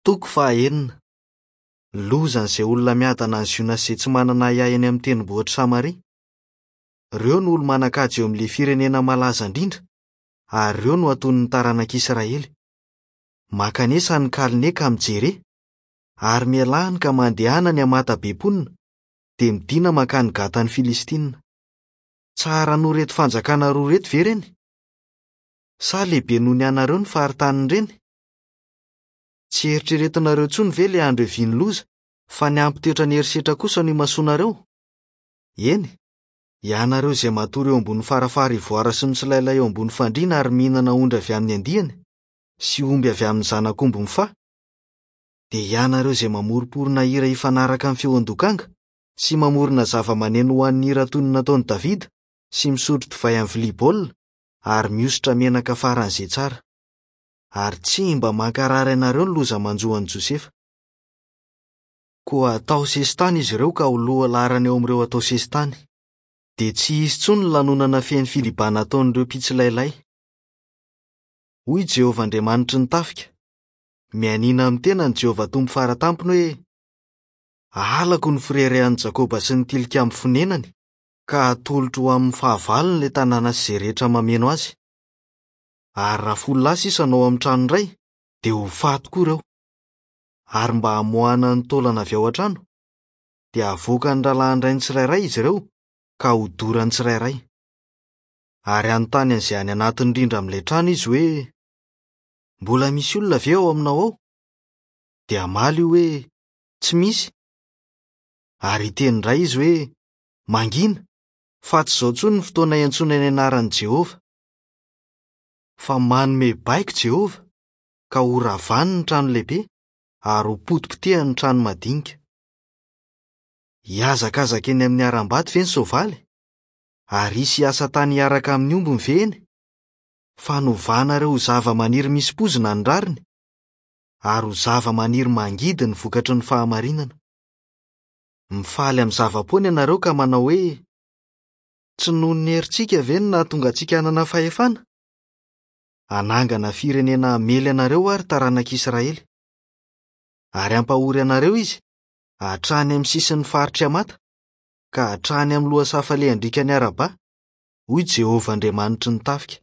Toko fahaenina. Lozan'izay olona miadana any Ziona sy izay tsy manana ahiahy eny amin'ny tendrombohitr'i Samaria. Ireo no olo-manan-kaja eo amin'ilay firenena malaza indrindra, ary ireo no hatonin'ny taranak'Israely. Mankanesa any Kalne ka mijere, ary mialà any ka mandehana any Hamata be mponina, dia midìna mankany Gatan'ny Filistinina. Tsara noho ireto fanjakana roa ireto ve ireny? Sa lehibe noho ny anareo ny faritanin'ireny? Tsy eritreretinareo intsony ve ilay andro hiavian'ny loza, fa ny hampitoetra ny herisetra kosa no imasoanareo? Eny, ianareo izay matory eo ambony farafara ivoara sy mitsilailay eo ambony fandriana ary mihinana ondry avy amin'ny andiany, sy omby avy amin'ny zanak'omby mifaha, dia ianareo izay mamoromporona hira hifanaraka amin'ny feon-dokanga, sy mamorona zava-maneno ho an'ny hira toy ny nataon'i Davida, sy misotro divay amin'ny vilia baolina, ary mihosotra menaka faran'izay tsara. Ary tsy mba mankarary anareo ny loza manjo an'i Josefa. Koa hatao sesitany izy ireo ka ho loha laharana eo amin'ireo atao sesitany. Dia tsy hisy intsony ny lanonana feno filibana ataon'ireo mpitsilailay. Hoy Jehovah Andriamanitry ny tafika, Mianiana amin'ny tenany Jehovah Tompo Fara Tampony hoe, 'Ahalako ny fireharehan'i Jakoba sy ny tilikambo fonenany, ka hatolotro ho amin'ny fahavalony ilay tanàna sy izay rehetra mameno azy. Ary raha folo lahy sisa no ao amin'ny trano iray, dia ho faty koa ireo. Ary mba hamoahana ny taolana avy ao an-trano, dia havoakan'ny rahalahin-drainy tsirairay izy ireo, ka hodorany tsirairay. Ary hanontany an'izay any anatiny indrindra amin'ilay trano izy hoe, Mbola misy olona ve ao aminao ao? Dia hamaly io hoe, Tsy misy. Ary hiteny indray izy hoe, Mangina, fa tsy izao intsony ny fotoana iantsoana ny anaran'i Jehovah. Fa manome baiko Jehovah, ka horavany ny trano lehibe ary hopotipotehany ny trano madinika. Hihazakazaka eny amin'ny harambato ve ny soavaly? Ary hisy hiasa tany hiaraka amin'ny ombiny ve eny? Fa novanareo ho zava-maniry misy poizina ny rariny, ary ho zava-maniry mangidy ny vokatry ny fahamarinana. Mifaly amin'ny zava-poana ianareo ka manao hoe, Tsy noho ny herintsika ve no nahatonga antsika hanana fahefana? Hanangana firenena hamely anareo aho, ry taranak'Israely. Ary hampahory anareo izy, hatrany amin'ny sisin'ny faritr'i Hamata, ka hatrany amin'ny lohasaha falehan-driakan'i Araba, hoy Jehovah Andriamanitry ny tafika.